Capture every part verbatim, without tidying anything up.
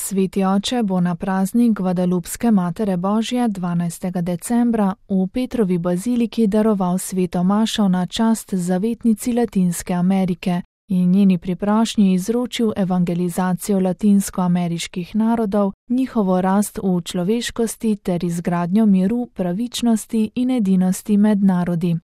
Sveti oče bo na praznik Gvadalupske Matere Božje dvanajstega decembra v Petrovi baziliki daroval sveto mašo na čast zavetnici Latinske Amerike in njeni priprošnji izročil evangelizacijo latinskoameriških narodov, njihovo rast v človeškosti ter izgradnjo miru, pravičnosti in edinosti med narodi.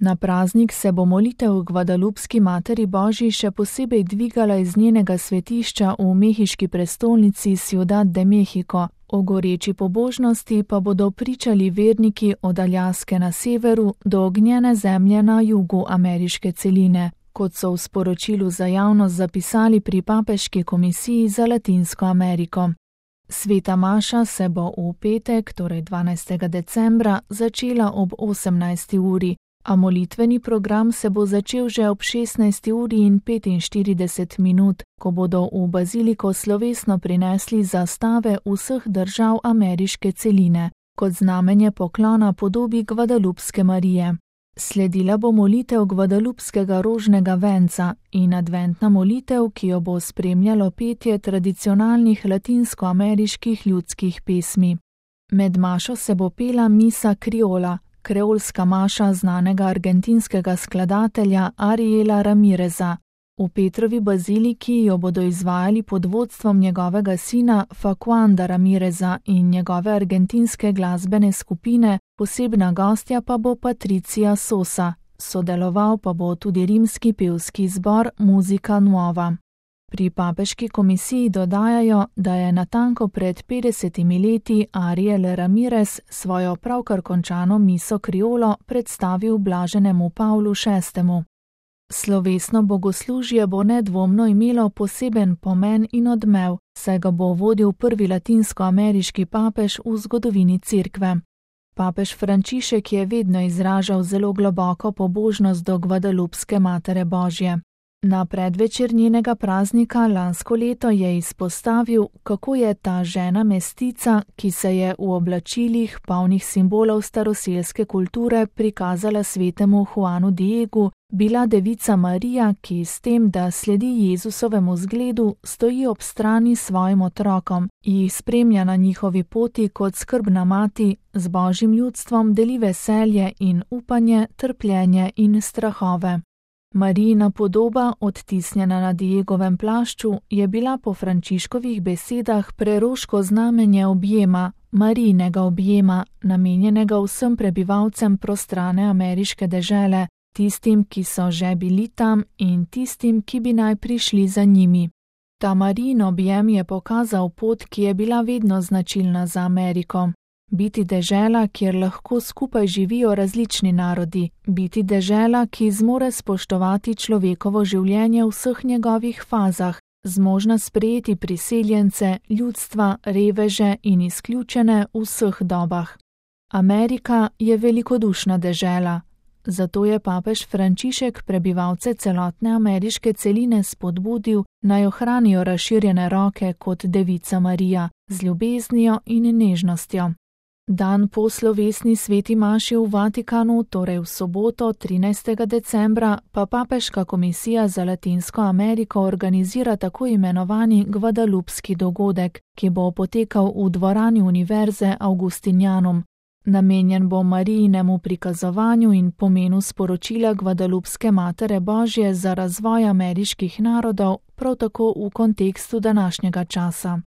Na praznik se bo molitev Gvadalupski Materi Božji še posebej dvigala iz njenega svetišča v mehiški prestolnici Ciudad de México, o goreči pobožnosti pa bodo pričali verniki od Aljaske na severu do ognjene zemlje na jugu ameriške celine, kot so v sporočilu za javnost zapisali pri Papeški komisiji za Latinsko Ameriko. Sveta maša se bo v petek, torej dvanajstega decembra, začela ob osemnajsti uri, a molitveni program se bo začel že ob šestnajsti uri in petinštirideset minut, ko bodo v baziliko slovesno prinesli zastave vseh držav ameriške celine, kot znamenje poklona podobi Gvadalupske Marije. Sledila bo molitev Gvadalupskega rožnega venca in adventna molitev, ki jo bo spremljalo petje tradicionalnih latinskoameriških ljudskih pesmi. Med mašo se bo pela misa kriola, kreolska maša znanega argentinskega skladatelja Ariela Ramireza. V Petrovi baziliki jo bodo izvajali pod vodstvom njegovega sina Facuanda Ramireza in njegove argentinske glasbene skupine, posebna gostja pa bo Patricia Sosa, sodeloval pa bo tudi rimski pevski zbor Musica Nuova. Pri Papeški komisiji dodajajo, da je natanko pred petdesetimi leti Ariel Ramirez svojo pravkar končano miso kriolo predstavil blaženemu Pavlu šestemu. Slovesno bogoslužje bo nedvomno imelo poseben pomen in odmev, saj ga bo vodil prvi latinskoameriški papež v zgodovini cerkve. Papež Frančišek je vedno izražal zelo globoko pobožnost do Gvadalupske Matere Božje. Na predvečer njenega praznika lansko leto je izpostavil, kako je ta žena mestica, ki se je v oblačilih, polnih simbolov staroselske kulture, prikazala svetemu Juanu Diegu, bila devica Marija, ki s tem, da sledi Jezusovemu zgledu, stoji ob strani svojim otrokom, jih spremlja na njihovi poti kot skrbna mati, z Božjim ljudstvom deli veselje in upanje, trpljenje in strahove. Marijina podoba, odtisnjena na Diegovem plašču, je bila po Frančiškovih besedah preroško znamenje objema, Marijinega objema, namenjenega vsem prebivalcem prostrane ameriške dežele, tistim, ki so že bili tam in tistim, ki bi naj prišli za njimi. Ta Marijin objem je pokazal pot, ki je bila vedno značilna za Ameriko. Biti dežela, kjer lahko skupaj živijo različni narodi, biti dežela, ki zmore spoštovati človekovo življenje v vseh njegovih fazah, zmožna sprejeti priseljence, ljudstva, reveže in izključene v vseh dobah. Amerika je velikodušna dežela, zato je papež Frančišek prebivalce celotne ameriške celine spodbudil, naj ohranijo razširjene roke kot devica Marija, z ljubeznijo in nežnostjo. Dan po slovesni sveti maši v Vatikanu, torej v soboto trinajstega decembra, pa Papeška komisija za Latinsko Ameriko organizira tako imenovani Gvadalupski dogodek, ki bo potekal v dvorani Univerze Augustinianum. Namenjen bo Marijinemu prikazovanju in pomenu sporočila Gvadalupske Matere Božje za razvoj ameriških narodov, prav tako v kontekstu današnjega časa.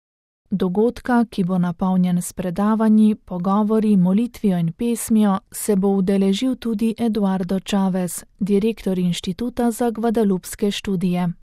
Dogodka, ki bo napolnjen s predavanji, pogovori, molitvijo in pesmijo, se bo udeležil tudi Eduardo Chavez, direktor Inštituta za gvadalupske študije.